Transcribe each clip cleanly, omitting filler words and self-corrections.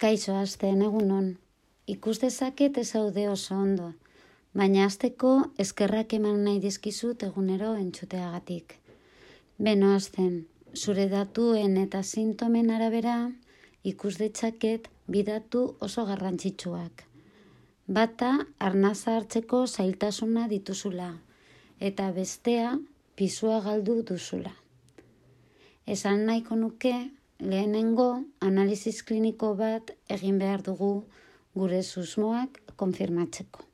Kaixo hasten egunon, ikus dezaket ez zaude oso ondo, baina hasteko eskerrak eman nahi dizkizut egunero entzuteagatik. Beno hasten, zure datuen eta sintomen arabera ikus ditzaket bi datu oso garrantzitsuak. Bata arnaza hartzeko zailtasuna dituzula, eta bestea pisua galdu duzula. Esan nahiko nuke, lehenengo analiziz kliniko bat egin behar dugu gure susmoak konfirmatzeko.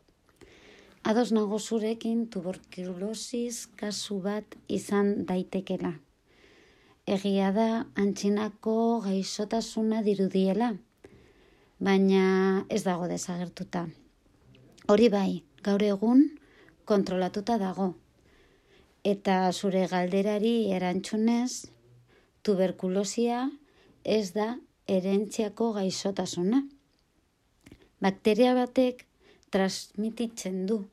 Ados nago zurekin tuberkulosis kasu bat izan daitekela. Egia da antzinako gaixotasuna dirudiela, baina ez dago desagertuta. Hori bai, gaur egun kontrolatuta dago. Eta zure galderari erantzunez, tuberkulosia ez da herentziako gaixotasuna. Bakteria batek transmititzen du.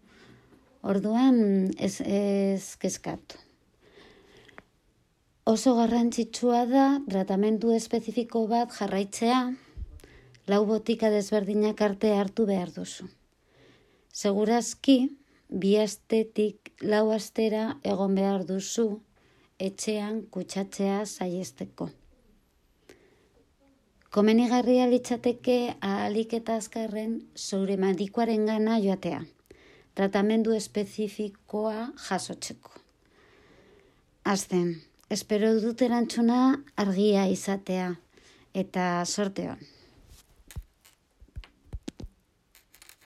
Orduan ez kezkatu. Oso garrantzitsua da tratamendu espezifiko bat jarraitzea, 4 botika desberdinak arte hartu behar duzu. Segurazki, 2 astetik 4 astera egon behar duzu etxean kutsatzea saihesteko. Komenigarria litzateke ahalik eta azkarren zure medikuarengana joatea, tratamendu espezifikoa jasotzeko. Hasten, espero dut erantzuna argia izatea, eta sorte on.